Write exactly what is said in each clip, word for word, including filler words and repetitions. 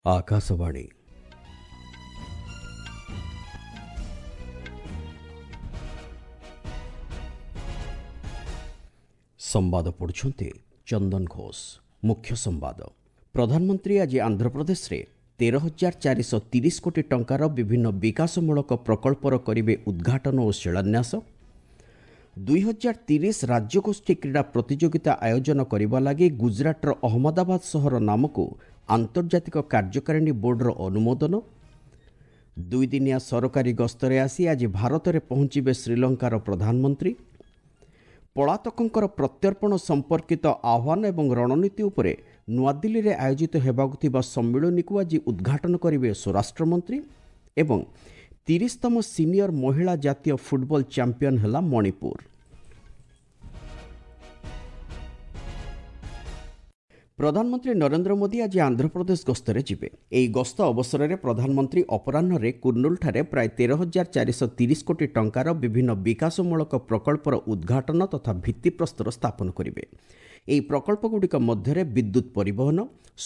ଆକାଶବାଣୀ। ସମ୍ବାଦ ପଢ଼ୁଛନ୍ତି ଚନ୍ଦନ ଘୋଷ। ମୁଖ୍ୟ ସମ୍ବାଦ। ପ୍ରଧାନମନ୍ତ୍ରୀ ଆଜି ଆନ୍ଧ୍ରପ୍ରଦେଶରେ ତେର ହଜାର ଚାରିଶହ ତିରିଶ କୋଟି ଟଙ୍କାର ବିଭିନ୍ନ ବିକାଶମୂଳକ ପ୍ରକଳ୍ପର କରିବେ ଉଦ୍ଘାଟନ ଓ ଶିଳାନ୍ୟାସ। ଦୁଇ ହଜାର ତିରିଶ ରାଜ୍ୟଗୋଷ୍ଠୀ କ୍ରୀଡ଼ା ପ୍ରତିଯୋଗିତା ଆୟୋଜନ କରିବା ଲାଗି ଗୁଜରାଟର ଅହମ୍ମଦାବାଦ ସହର ନାମକୁ ଆନ୍ତର୍ଜାତିକ କାର୍ଯ୍ୟକାରିଣୀ ବୋର୍ଡର ଅନୁମୋଦନ। ଦୁଇଦିନିଆ ସରକାରୀ ଗସ୍ତରେ ଆସି ଆଜି ଭାରତରେ ପହଞ୍ଚିବେ ଶ୍ରୀଲଙ୍କାର ପ୍ରଧାନମନ୍ତ୍ରୀ। ପଳାତକଙ୍କର ପ୍ରତ୍ୟର୍ପଣ ସମ୍ପର୍କିତ ଆହ୍ୱାନ ଏବଂ ରଣନୀତି ଉପରେ ନୂଆଦିଲ୍ଲୀରେ ଆୟୋଜିତ ହେବାକୁ ଥିବା ସମ୍ମିଳନୀକୁ ଆଜି ଉଦ୍ଘାଟନ କରିବେ ସ୍ୱରାଷ୍ଟ୍ରମନ୍ତ୍ରୀ। ଏବଂ ତିରିଶତମ ସିନିୟର ମହିଳା ଜାତୀୟ ଫୁଟବଲ ଚାମ୍ପିୟନ ହେଲା ମଣିପୁର। ପ୍ରଧାନମନ୍ତ୍ରୀ ନରେନ୍ଦ୍ର ମୋଦି ଆଜି ଆନ୍ଧ୍ରପ୍ରଦେଶ ଗସ୍ତରେ ଯିବେ। ଏହି ଗସ୍ତ ଅବସରରେ ପ୍ରଧାନମନ୍ତ୍ରୀ ଅପରାହ୍ନରେ କୁର୍ଣ୍ଣୁଲଠାରେ ପ୍ରାୟ ତେର ହଜାର ଚାରିଶହ ତିରିଶ କୋଟି ଟଙ୍କାର ବିଭିନ୍ନ ବିକାଶମୂଳକ ପ୍ରକଳ୍ପର ଉଦ୍ଘାଟନ ତଥା ଭିତ୍ତିପ୍ରସ୍ତର ସ୍ଥାପନ କରିବେ। ଏହି ପ୍ରକଳ୍ପଗୁଡ଼ିକ ମଧ୍ୟରେ ବିଦ୍ୟୁତ୍ ପରିବହନ,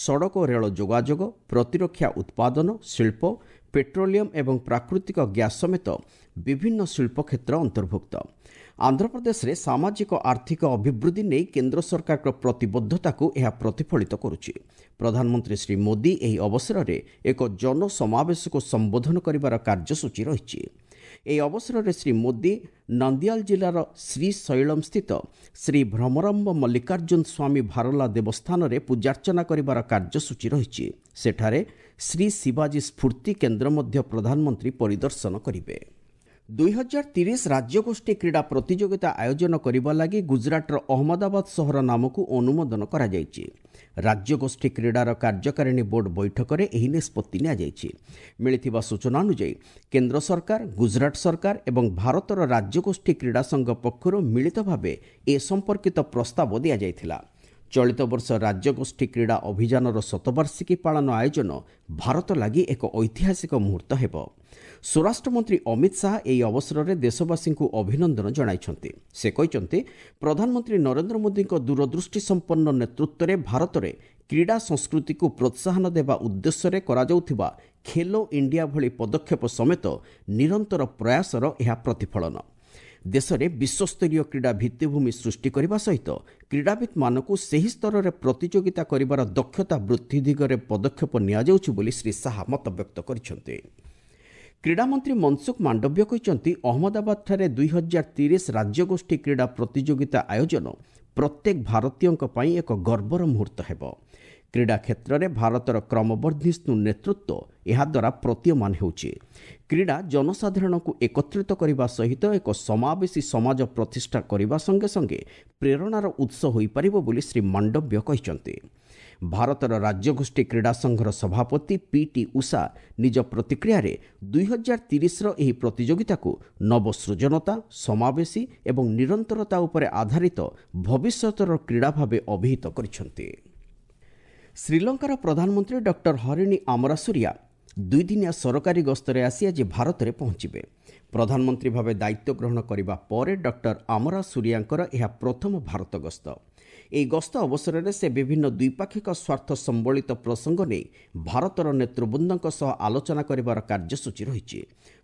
ସଡ଼କ ଓ ରେଳ ଯୋଗାଯୋଗ, ପ୍ରତିରକ୍ଷା ଉତ୍ପାଦନ, ଶିଳ୍ପ, ପେଟ୍ରୋଲିୟମ ଏବଂ ପ୍ରାକୃତିକ ଗ୍ୟାସ୍ ସମେତ ବିଭିନ୍ନ ଶିଳ୍ପ କ୍ଷେତ୍ର ଅନ୍ତର୍ଭୁକ୍ତ। ଆନ୍ଧ୍ରପ୍ରଦେଶରେ ସାମାଜିକ ଆର୍ଥିକ ଅଭିବୃଦ୍ଧି ନେଇ କେନ୍ଦ୍ର ସରକାରଙ୍କ ପ୍ରତିବଦ୍ଧତାକୁ ଏହା ପ୍ରତିଫଳିତ କରୁଛି। ପ୍ରଧାନମନ୍ତ୍ରୀ ଶ୍ରୀ ମୋଦି ଏହି ଅବସରରେ ଏକ ଜନସମାବେଶକୁ ସମ୍ବୋଧନ କରିବାର କାର୍ଯ୍ୟସୂଚୀ ରହିଛି। ଏହି ଅବସରରେ ଶ୍ରୀ ମୋଦି ନନ୍ଦିଆଲ ଜିଲ୍ଲାର ଶ୍ରୀଶୈଳମ୍ ସ୍ଥିତ ଶ୍ରୀ ଭ୍ରମରାମ୍ବ ମଲ୍ଲିକାର୍ଜୁନ ସ୍ୱାମୀ ଭାରଲା ଦେବସ୍ଥାନରେ ପୂଜାର୍ଚ୍ଚନା କରିବାର କାର୍ଯ୍ୟସୂଚୀ ରହିଛି। ସେଠାରେ ଶ୍ରୀ ଶିବାଜୀ ସ୍ଫୂର୍ତ୍ତି କେନ୍ଦ୍ର ମଧ୍ୟ ପ୍ରଧାନମନ୍ତ୍ରୀ ପରିଦର୍ଶନ କରିବେ। ଦୁଇ ହଜାର ତିରିଶ ରାଜ୍ୟଗୋଷ୍ଠୀ କ୍ରୀଡ଼ା ପ୍ରତିଯୋଗିତା ଆୟୋଜନ କରିବା ଲାଗି ଗୁଜରାଟର ଅହମ୍ମଦାବାଦ ସହର ନାମକୁ ଅନୁମୋଦନ କରାଯାଇଛି। ରାଜ୍ୟଗୋଷ୍ଠୀ କ୍ରୀଡ଼ାର କାର୍ଯ୍ୟକାରିଣୀ ବୋର୍ଡ ବୈଠକରେ ଏହି ନିଷ୍ପତ୍ତି ନିଆଯାଇଛି। ମିଳିଥିବା ସୂଚନା ଅନୁଯାୟୀ କେନ୍ଦ୍ର ସରକାର, ଗୁଜରାଟ ସରକାର ଏବଂ ଭାରତର ରାଜ୍ୟଗୋଷ୍ଠୀ କ୍ରୀଡ଼ା ସଂଘ ପକ୍ଷରୁ ମିଳିତ ଭାବେ ଏ ସମ୍ପର୍କିତ ପ୍ରସ୍ତାବ ଦିଆଯାଇଥିଲା। ଚଳିତ ବର୍ଷ ରାଜ୍ୟଗୋଷ୍ଠୀ କ୍ରୀଡ଼ା ଅଭିଯାନର ଶତବାର୍ଷିକୀ ପାଳନ ଆୟୋଜନ ଭାରତ ଲାଗି ଏକ ଐତିହାସିକ ମୁହୂର୍ତ୍ତ ହେବ। ସ୍ୱରାଷ୍ଟ୍ରମନ୍ତ୍ରୀ ଅମିତ ଶାହା ଏହି ଅବସରରେ ଦେଶବାସୀଙ୍କୁ ଅଭିନନ୍ଦନ ଜଣାଇଛନ୍ତି। ସେ କହିଛନ୍ତି, ପ୍ରଧାନମନ୍ତ୍ରୀ ନରେନ୍ଦ୍ର ମୋଦିଙ୍କ ଦୂରଦୃଷ୍ଟି ସମ୍ପନ୍ନ ନେତୃତ୍ୱରେ ଭାରତରେ କ୍ରୀଡ଼ା ସଂସ୍କୃତିକୁ ପ୍ରୋତ୍ସାହନ ଦେବା ଉଦ୍ଦେଶ୍ୟରେ କରାଯାଉଥିବା ଖେଲୋ ଇଣ୍ଡିଆ ଭଳି ପଦକ୍ଷେପ ସମେତ ନିରନ୍ତର ପ୍ରୟାସର ଏହା ପ୍ରତିଫଳନ। ଦେଶରେ ବିଶ୍ୱସ୍ତରୀୟ କ୍ରୀଡ଼ା ଭିତ୍ତିଭୂମି ସୃଷ୍ଟି କରିବା ସହିତ କ୍ରୀଡ଼ାବିତ୍ମାନଙ୍କୁ ସେହି ସ୍ତରରେ ପ୍ରତିଯୋଗିତା କରିବାର ଦକ୍ଷତା ବୃଦ୍ଧି ଦିଗରେ ପଦକ୍ଷେପ ନିଆଯାଉଛି ବୋଲି ଶ୍ରୀ ଶାହା ମତବ୍ୟକ୍ତ କରିଛନ୍ତି। କ୍ରୀଡ଼ାମନ୍ତ୍ରୀ ମନସୁଖ ମାଣ୍ଡବ୍ୟ କହିଛନ୍ତି, ଅହମ୍ମଦାବାଦଠାରେ ଦୁଇ ହଜାର ତିରିଶ ରାଜ୍ୟଗୋଷ୍ଠୀ କ୍ରୀଡ଼ା ପ୍ରତିଯୋଗିତା ଆୟୋଜନ ପ୍ରତ୍ୟେକ ଭାରତୀୟଙ୍କ ପାଇଁ ଏକ ଗର୍ବର ମୁହୂର୍ତ୍ତ ହେବ। କ୍ରୀଡ଼ା କ୍ଷେତ୍ରରେ ଭାରତର କ୍ରମବର୍ଦ୍ଧିଷ୍ଣୁ ନେତୃତ୍ୱ ଏହାଦ୍ୱାରା ପ୍ରତୀୟମାନ ହେଉଛି। କ୍ରୀଡ଼ା ଜନସାଧାରଣଙ୍କୁ ଏକତ୍ରିତ କରିବା ସହିତ ଏକ ସମାବେଶୀ ସମାଜ ପ୍ରତିଷ୍ଠା କରିବା ସଙ୍ଗେ ସଙ୍ଗେ ପ୍ରେରଣାର ଉତ୍ସ ହୋଇପାରିବ ବୋଲି ଶ୍ରୀ ମାଣ୍ଡବ୍ୟ କହିଛନ୍ତି। ଭାରତର ରାଜ୍ୟଗୋଷ୍ଠୀ କ୍ରୀଡ଼ା ସଂଘର ସଭାପତି ପି ଟି ଉଷା ନିଜ ପ୍ରତିକ୍ରିୟାରେ ଦୁଇ ହଜାର ତିରିଶର ଏହି ପ୍ରତିଯୋଗିତାକୁ ନବସୃଜନତା, ସମାବେଶୀ ଏବଂ ନିରନ୍ତରତା ଉପରେ ଆଧାରିତ ଭବିଷ୍ୟତର କ୍ରୀଡ଼ା ଭାବେ ଅଭିହିତ କରିଛନ୍ତି। ଶ୍ରୀଲଙ୍କାର ପ୍ରଧାନମନ୍ତ୍ରୀ ଡକ୍ଟର ହରିଣୀ ଆମରାସୁରିଆ ଦୁଇଦିନିଆ ସରକାରୀ ଗସ୍ତରେ ଆସି ଆଜି ଭାରତରେ ପହଞ୍ଚିବେ। ପ୍ରଧାନମନ୍ତ୍ରୀ ଭାବେ ଦାୟିତ୍ୱ ଗ୍ରହଣ କରିବା ପରେ ଡକ୍ଟର ଆମରାସୁରିଆଙ୍କର ଏହା ପ୍ରଥମ ଭାରତ ଗସ୍ତ। ଏହି ଗସ୍ତ ଅବସରରେ ସେ ବିଭିନ୍ନ ଦ୍ୱିପାକ୍ଷିକ ସ୍ୱାର୍ଥ ସମ୍ବଳିତ ପ୍ରସଙ୍ଗ ନେଇ ଭାରତର ନେତୃବୃନ୍ଦଙ୍କ ସହ ଆଲୋଚନା କରିବାର କାର୍ଯ୍ୟସୂଚୀ ରହିଛି।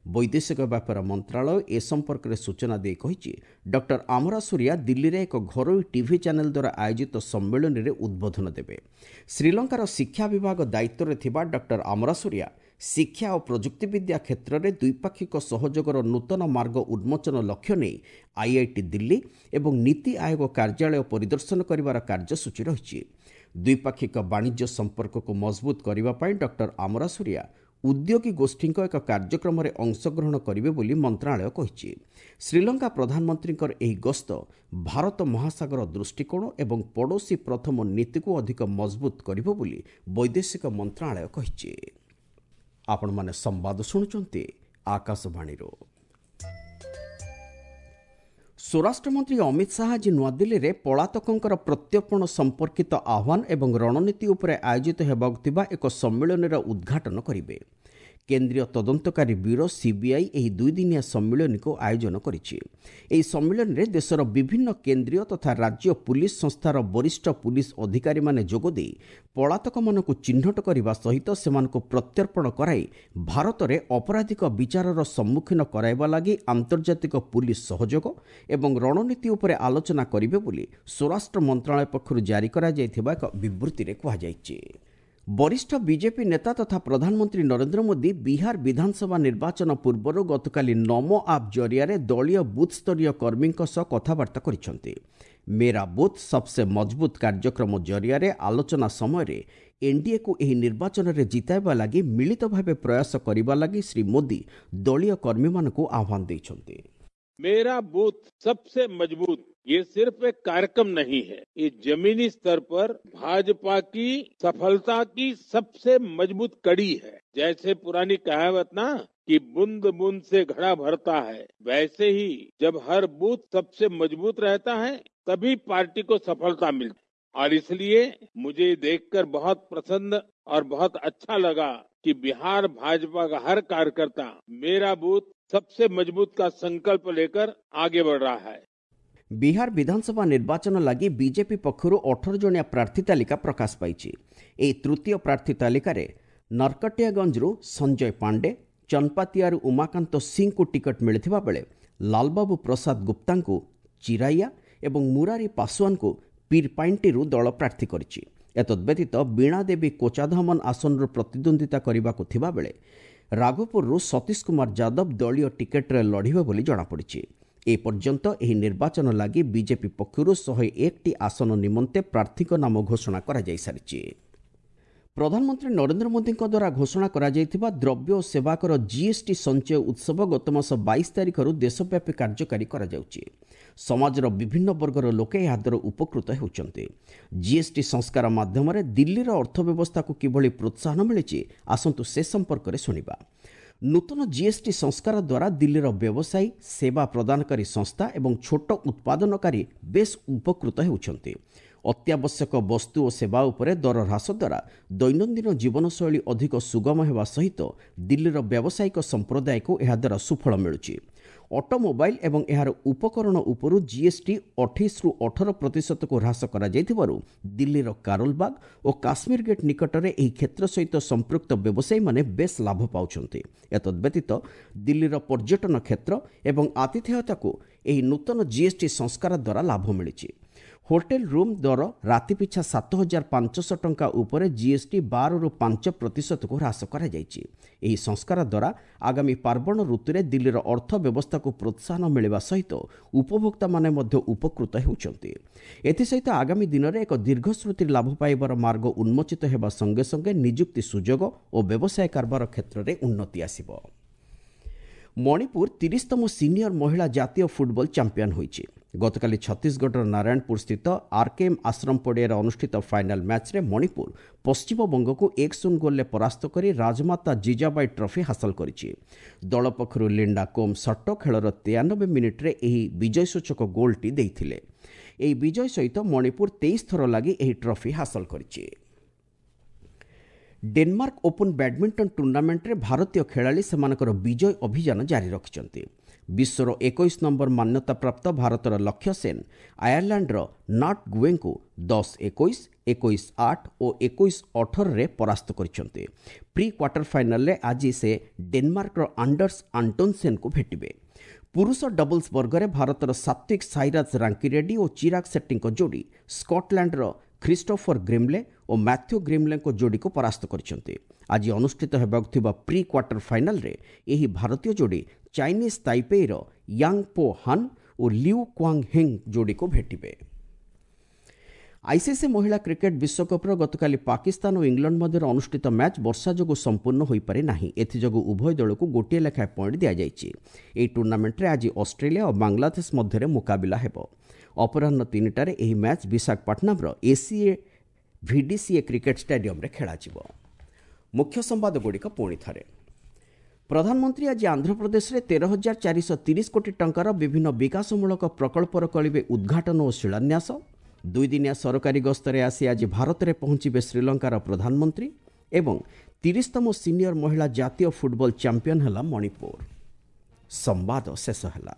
ବୈଦେଶିକ ବ୍ୟାପାର ମନ୍ତ୍ରଣାଳୟ ଏ ସମ୍ପର୍କରେ ସୂଚନା ଦେଇ କହିଛି, ଡକ୍ଟର ଆମରାସୁରିଆ ଦିଲ୍ଲୀରେ ଏକ ଘରୋଇ ଟିଭି ଚ୍ୟାନେଲ ଦ୍ୱାରା ଆୟୋଜିତ ସମ୍ମିଳନୀରେ ଉଦ୍ବୋଧନ ଦେବେ। ଶ୍ରୀଲଙ୍କାର ଶିକ୍ଷା ବିଭାଗ ଦାୟିତ୍ୱରେ ଥିବା ଡକ୍ଟର ଆମରାସୁରିଆ ଶିକ୍ଷା ଓ ପ୍ରଯୁକ୍ତିବିଦ୍ୟା କ୍ଷେତ୍ରରେ ଦ୍ୱିପାକ୍ଷିକ ସହଯୋଗର ନୂତନ ମାର୍ଗ ଉନ୍ମୋଚନ ଲକ୍ଷ୍ୟ ନେଇ ଆଇଆଇଟି ଦିଲ୍ଲୀ ଏବଂ ନୀତି ଆୟୋଗ କାର୍ଯ୍ୟାଳୟ ପରିଦର୍ଶନ କରିବାର କାର୍ଯ୍ୟସୂଚୀ ରହିଛି। ଦ୍ୱିପାକ୍ଷିକ ବାଣିଜ୍ୟ ସମ୍ପର୍କକୁ ମଜବୁତ କରିବା ପାଇଁ ଡକ୍ଟର ଆମରାସୁରିଆ ଉଦ୍ୟୋଗୀ ଗୋଷ୍ଠୀଙ୍କ ଏକ କାର୍ଯ୍ୟକ୍ରମରେ ଅଂଶଗ୍ରହଣ କରିବେ ବୋଲି ମନ୍ତ୍ରଣାଳୟ କହିଛି। ଶ୍ରୀଲଙ୍କା ପ୍ରଧାନମନ୍ତ୍ରୀଙ୍କର ଏହି ଗସ୍ତ ଭାରତ ମହାସାଗର ଦୃଷ୍ଟିକୋଣ ଏବଂ ପଡ଼ୋଶୀ ପ୍ରଥମ ନୀତିକୁ ଅଧିକ ମଜବୁତ କରିବ ବୋଲି ବୈଦେଶିକ ମନ୍ତ୍ରଣାଳୟ କହିଛି। ଆପଣମାନେ ସମ୍ବାଦ ଶୁଣୁଛନ୍ତି ଆକାଶବାଣୀରୁ। ସ୍ୱରାଷ୍ଟ୍ରମନ୍ତ୍ରୀ ଅମିତ ଶାହା ଆଜି ନୂଆଦିଲ୍ଲୀରେ ପଳାତକଙ୍କର ପ୍ରତ୍ୟର୍ପଣ ସମ୍ପର୍କିତ ଆହ୍ୱାନ ଏବଂ ରଣନୀତି ଉପରେ ଆୟୋଜିତ ହେବାକୁ ଥିବା ଏକ ସମ୍ମିଳନୀର ଉଦ୍ଘାଟନ କରିବେ। କେନ୍ଦ୍ରୀୟ ତଦନ୍ତକାରୀ ବ୍ୟୁରୋ ସିବିଆଇ ଏହି ଦୁଇଦିନିଆ ସମ୍ମିଳନୀକୁ ଆୟୋଜନ କରିଛି। ଏହି ସମ୍ମିଳନୀରେ ଦେଶର ବିଭିନ୍ନ କେନ୍ଦ୍ରୀୟ ତଥା ରାଜ୍ୟ ପୁଲିସ ସଂସ୍ଥାର ବରିଷ୍ଠ ପୁଲିସ ଅଧିକାରୀମାନେ ଯୋଗଦେଇ ପଳାତକମାନଙ୍କୁ ଚିହ୍ନଟ କରିବା ସହିତ ସେମାନଙ୍କୁ ପ୍ରତ୍ୟର୍ପଣ କରାଇ ଭାରତରେ ଅପରାଧିକ ବିଚାରର ସମ୍ମୁଖୀନ କରାଇବା ଲାଗି ଆନ୍ତର୍ଜାତିକ ପୁଲିସ ସହଯୋଗ ଏବଂ ରଣନୀତି ଉପରେ ଆଲୋଚନା କରିବେ ବୋଲି ସ୍ୱରାଷ୍ଟ୍ର ମନ୍ତ୍ରଣାଳୟ ପକ୍ଷରୁ ଜାରି କରାଯାଇଥିବା ଏକ ବିବୃତ୍ତିରେ କୁହାଯାଇଛି। ବରିଷ୍ଠ ବିଜେପି ନେତା ତଥା ପ୍ରଧାନମନ୍ତ୍ରୀ ନରେନ୍ଦ୍ର ମୋଦି ବିହାର ବିଧାନସଭା ନିର୍ବାଚନ ପୂର୍ବରୁ ଗତକାଲି ନମୋ ଆପ୍ ଜରିଆରେ ଦଳୀୟ ବୁଥ୍ସ୍ତରୀୟ କର୍ମୀଙ୍କ ସହ କଥାବାର୍ତ୍ତା କରିଛନ୍ତି। ମେରା ବୁଥ୍ ସବସେ ମଜବୁତ କାର୍ଯ୍ୟକ୍ରମ ଜରିଆରେ ଆଲୋଚନା ସମୟରେ ଏନ୍ଡିଏକୁ ଏହି ନିର୍ବାଚନରେ ଜିତାଇବା ଲାଗି ମିଳିତ ଭାବେ ପ୍ରୟାସ କରିବା ଲାଗି ଶ୍ରୀ ମୋଦି ଦଳୀୟ କର୍ମୀମାନଙ୍କୁ ଆହ୍ୱାନ ଦେଇଛନ୍ତି। मेरा बूथ सबसे मजबूत ये सिर्फ एक कार्यक्रम नहीं है, ये जमीनी स्तर पर भाजपा की सफलता की सबसे मजबूत कड़ी है। जैसे पुरानी कहावत ना कि बूंद बूंद से घड़ा भरता है, वैसे ही जब हर बूथ सबसे मजबूत रहता है तभी पार्टी को सफलता मिलती है। और इसलिए मुझे देखकर बहुत प्रसन्न और बहुत अच्छा लगा कि बिहार भाजपा का हर कार्यकर्ता मेरा बूथ सबसे मजबूत का संकल्प लेकर आगे बढ़ रहा है। ବିହାର ବିଧାନସଭା ନିର୍ବାଚନ ଲାଗି ବିଜେପି ପକ୍ଷରୁ ଅଠର ଜଣିଆ ପ୍ରାର୍ଥୀ ତାଲିକା ପ୍ରକାଶ ପାଇଛି। ଏହି ତୃତୀୟ ପ୍ରାର୍ଥୀ ତାଲିକାରେ ନରକଟିଆଗଞ୍ଜରୁ ସଞ୍ଜୟ ପାଣ୍ଡେ, ଚନପାତିଆରୁ ଉମାକାନ୍ତ ସିଂଙ୍କୁ ଟିକଟ ମିଳିଥିବା ବେଳେ ଲାଲବାବୁ ପ୍ରସାଦ ଗୁପ୍ତାଙ୍କୁ ଚିରାଇଆ ଏବଂ ମୁରାରୀ ପାଶୱାନଙ୍କୁ ପୀରପାଇଣ୍ଟିରୁ ଦଳ ପ୍ରାର୍ଥୀ କରିଛି। ଏତଦ୍ବ୍ୟତୀତ ବୀଣା ଦେବୀ କୋଚାଧାମନ ଆସନରୁ ପ୍ରତିଦ୍ୱନ୍ଦ୍ୱିତା କରିବାକୁ ଥିବାବେଳେ ରାଘୋପୁରରୁ ସତୀଶ କୁମାର ଯାଦବ ଦଳୀୟ ଟିକେଟରେ ଲଢ଼ିବେ ବୋଲି ଜଣାପଡ଼ିଛି। ଏପର୍ଯ୍ୟନ୍ତ ଏହି ନିର୍ବାଚନ ଲାଗି ବିଜେପି ପକ୍ଷରୁ ଶହେ ଏକଟି ଆସନ ନିମନ୍ତେ ପ୍ରାର୍ଥୀଙ୍କ ନାମ ଘୋଷଣା କରାଯାଇସାରିଛି। ପ୍ରଧାନମନ୍ତ୍ରୀ ନରେନ୍ଦ୍ର ମୋଦିଙ୍କ ଦ୍ୱାରା ଘୋଷଣା କରାଯାଇଥିବା ଦ୍ରବ୍ୟ ଓ ସେବାକର ଜିଏସ୍ଟି ସଞ୍ଚୟ ଉତ୍ସବ ଗତମାସ ବାଇଶ ତାରିଖରୁ ଦେଶବ୍ୟାପୀ କାର୍ଯ୍ୟକାରୀ କରାଯାଉଛି। ସମାଜର ବିଭିନ୍ନ ବର୍ଗର ଲୋକେ ଏହାଦ୍ୱାରା ଉପକୃତ ହେଉଛନ୍ତି। ଜିଏସ୍ଟି ସଂସ୍କାର ମାଧ୍ୟମରେ ଦିଲ୍ଲୀର ଅର୍ଥବ୍ୟବସ୍ଥାକୁ କିଭଳି ପ୍ରୋତ୍ସାହନ ମିଳିଛି, ଆସନ୍ତୁ ସେ ସମ୍ପର୍କରେ ଶୁଣିବା। ନୂତନ ଜିଏସ୍ଟି ସଂସ୍କାର ଦ୍ୱାରା ଦିଲ୍ଲୀର ବ୍ୟବସାୟୀ, ସେବା ପ୍ରଦାନକାରୀ ସଂସ୍ଥା ଏବଂ ଛୋଟ ଉତ୍ପାଦନକାରୀ ବେଶ୍ ଉପକୃତ ହେଉଛନ୍ତି। ଅତ୍ୟାବଶ୍ୟକ ବସ୍ତୁ ଓ ସେବା ଉପରେ ଦର ହ୍ରାସ ଦ୍ୱାରା ଦୈନନ୍ଦିନ ଜୀବନଶୈଳୀ ଅଧିକ ସୁଗମ ହେବା ସହିତ ଦିଲ୍ଲୀର ବ୍ୟବସାୟିକ ସମ୍ପ୍ରଦାୟକୁ ଏହାଦ୍ୱାରା ସୁଫଳ ମିଳୁଛି। ଅଟୋମୋବାଇଲ ଏବଂ ଏହାର ଉପକରଣ ଉପରୁ ଜିଏସ୍ଟି ଅଠେଇଶରୁ ଅଠର ପ୍ରତିଶତକୁ ହ୍ରାସ କରାଯାଇଥିବାରୁ ଦିଲ୍ଲୀର କାରୋଲବାଗ ଓ କାଶ୍ମୀର ଗେଟ୍ ନିକଟରେ ଏହି କ୍ଷେତ୍ର ସହିତ ସମ୍ପୃକ୍ତ ବ୍ୟବସାୟୀମାନେ ବେଶ୍ ଲାଭ ପାଉଛନ୍ତି। ଏତଦ୍ବ୍ୟତୀତ ଦିଲ୍ଲୀର ପର୍ଯ୍ୟଟନ କ୍ଷେତ୍ର ଏବଂ ଆତିଥେୟତାକୁ ଏହି ନୂତନ ଜିଏସ୍ଟି ସଂସ୍କାର ଦ୍ୱାରା ଲାଭ ମିଳିଛି। ହୋଟେଲ ରୁମ୍ ଦର ରାତି ପିଛା ସାତ ହଜାର ପାଞ୍ଚଶହ ଟଙ୍କା ଉପରେ ଜିଏସ୍ଟି ବାରରୁ ପାଞ୍ଚ ପ୍ରତିଶତକୁ ହ୍ରାସ କରାଯାଇଛି। ଏହି ସଂସ୍କାର ଦ୍ୱାରା ଆଗାମୀ ପାର୍ବଣ ଋତୁରେ ଦିଲ୍ଲୀର ଅର୍ଥ ବ୍ୟବସ୍ଥାକୁ ପ୍ରୋତ୍ସାହନ ମିଳିବା ସହିତ ଉପଭୋକ୍ତାମାନେ ମଧ୍ୟ ଉପକୃତ ହେଉଛନ୍ତି। ଏଥିସହିତ ଆଗାମୀ ଦିନରେ ଏକ ଦୀର୍ଘଶ୍ରୁତି ଲାଭ ପାଇବାର ମାର୍ଗ ଉନ୍ମୋଚିତ ହେବା ସଙ୍ଗେ ସଙ୍ଗେ ନିଯୁକ୍ତି ସୁଯୋଗ ଓ ବ୍ୟବସାୟ କାରବାର କ୍ଷେତ୍ରରେ ଉନ୍ନତି ଆସିବ। ମଣିପୁର ତିରିଶତମ ସିନିୟର ମହିଳା ଜାତୀୟ ଫୁଟବଲ ଚାମ୍ପିୟନ ହୋଇଛି। ଗତକାଲି ଛତିଶଗଡ଼ର ନାରାୟଣପୁର ସ୍ଥିତ ଆର୍କେଏମ୍ ଆଶ୍ରମ ପଡ଼ିଆରେ ଅନୁଷ୍ଠିତ ଫାଇନାଲ ମ୍ୟାଚ୍ରେ ମଣିପୁର ପଶ୍ଚିମବଙ୍ଗକୁ ଏକ ଶୂନ ଗୋଲରେ ପରାସ୍ତ କରି ରାଜମାତା ଜିଜାବାଇ ଟ୍ରଫି ହାସଲ କରିଛି। ଦଳ ପକ୍ଷରୁ ଲିଣ୍ଡା କୋମ୍ ସଟ୍ଟୋ ଖେଳର ତେୟାନବେ ମିନିଟ୍ରେ ଏହି ବିଜୟସୂଚକ ଗୋଲଟି ଦେଇଥିଲେ। ଏହି ବିଜୟ ସହିତ ମଣିପୁର ତେଇଶ ଥର ଲାଗି ଏହି ଟ୍ରଫି ହାସଲ କରିଛି। ଡେନମାର୍କ ଓପନ୍ ବ୍ୟାଡମିଣ୍ଟନ ଟୁର୍ଣ୍ଣାମେଣ୍ଟରେ ଭାରତୀୟ ଖେଳାଳି ସେମାନଙ୍କର ବିଜୟ ଅଭିଯାନ ଜାରି ରଖିଛନ୍ତି। ବିଶ୍ୱର ଏକୋଇଶ ନମ୍ବର ମାନ୍ୟତାପ୍ରାପ୍ତ ଭାରତର ଲକ୍ଷ୍ୟ ସେନ୍ ଆୟାରଲାଣ୍ଡର not ଗୁଏଙ୍କୁ ଦଶ ଏକୋଇଶ, ଏକୋଇଶ ଆଠ ଓ ଏକୋଇଶ ଅଠରରେ ପରାସ୍ତ କରିଛନ୍ତି। ପ୍ରି କ୍ୱାର୍ଟର ଫାଇନାଲରେ ଆଜି ସେ ଡେନମାର୍କର ଆଣ୍ଡର୍ସ ଆଣ୍ଟୋନସେନ୍ଙ୍କୁ ଭେଟିବେ। ପୁରୁଷ ଡବଲ୍ସ ବର୍ଗରେ ଭାରତର ସାତ୍ୱିକ ସାଇରାଜ ରାଙ୍କିରେଡ୍ଡି ଓ ଚିରାଗ ସେଟ୍ଟୀଙ୍କ ଯୋଡ଼ି ସ୍କଟଲ୍ୟାଣ୍ଡର ଖ୍ରୀଷ୍ଟୋଫର ଗ୍ରିମ୍ଲେ ଓ ମାଥ୍ୟୁ ଗ୍ରିମ୍ଲେଙ୍କ ଯୋଡ଼ିକୁ ପରାସ୍ତ କରିଛନ୍ତି। ଆଜି ଅନୁଷ୍ଠିତ ହେବାକୁ ଥିବା ପ୍ରି କ୍ୱାର୍ଟର ଫାଇନାଲରେ ଏହି ଭାରତୀୟ ଯୋଡ଼ି ଚାଇନିଜ୍ ତାଇପେଇର ୟାଙ୍ଗ ପୋ ହାନ୍ ଓ ଲିଉ କ୍ୱାଙ୍ଗ ହେଙ୍ଗ ଯୋଡ଼ିକୁ ଭେଟିବେ। ଆଇସିସି ମହିଳା କ୍ରିକେଟ୍ ବିଶ୍ୱକପ୍ର ଗତକାଲି ପାକିସ୍ତାନ ଓ ଇଂଲଣ୍ଡ ମଧ୍ୟରେ ଅନୁଷ୍ଠିତ ମ୍ୟାଚ୍ ବର୍ଷା ଯୋଗୁଁ ସମ୍ପୂର୍ଣ୍ଣ ହୋଇପାରି ନାହିଁ। ଏଥିଯୋଗୁଁ ଉଭୟ ଦଳକୁ ଗୋଟିଏ ଲେଖାଏଁ ପଏଣ୍ଟ ଦିଆଯାଇଛି। ଏହି ଟୁର୍ଣ୍ଣାମେଣ୍ଟରେ ଆଜି ଅଷ୍ଟ୍ରେଲିଆ ଓ ବାଂଲାଦେଶ ମଧ୍ୟରେ ମୁକାବିଲା ହେବ। ଅପରାହ୍ନ ତିନିଟାରେ ଏହି ମ୍ୟାଚ୍ ବିଶାଖାପାଟଣାମର ଏସିଏ ଭିଡିସିଏ କ୍ରିକେଟ୍ ଷ୍ଟାଡିୟମରେ ଖେଳାଯିବ। ମୁଖ୍ୟ ସମ୍ବାଦଗୁଡ଼ିକ ପୁଣି ଥରେ। ପ୍ରଧାନମନ୍ତ୍ରୀ ଆଜି ଆନ୍ଧ୍ରପ୍ରଦେଶରେ ତେର ହଜାର ଚାରିଶହ ତିରିଶ କୋଟି ଟଙ୍କାର ବିଭିନ୍ନ ବିକାଶମୂଳକ ପ୍ରକଳ୍ପର କରିବେ ଉଦ୍ଘାଟନ ଓ ଶିଳାନ୍ୟାସ। ଦୁଇଦିନିଆ ସରକାରୀ ଗସ୍ତରେ ଆସି ଆଜି ଭାରତରେ ପହଞ୍ଚିବେ ଶ୍ରୀଲଙ୍କାର ପ୍ରଧାନମନ୍ତ୍ରୀ। ଏବଂ ତିରିଶତମ ସିନିୟର ମହିଳା ଜାତୀୟ ଫୁଟବଲ ଚାମ୍ପିୟନ ହେଲା ମଣିପୁର। ସମ୍ବାଦ ଶେଷ ହେଲା।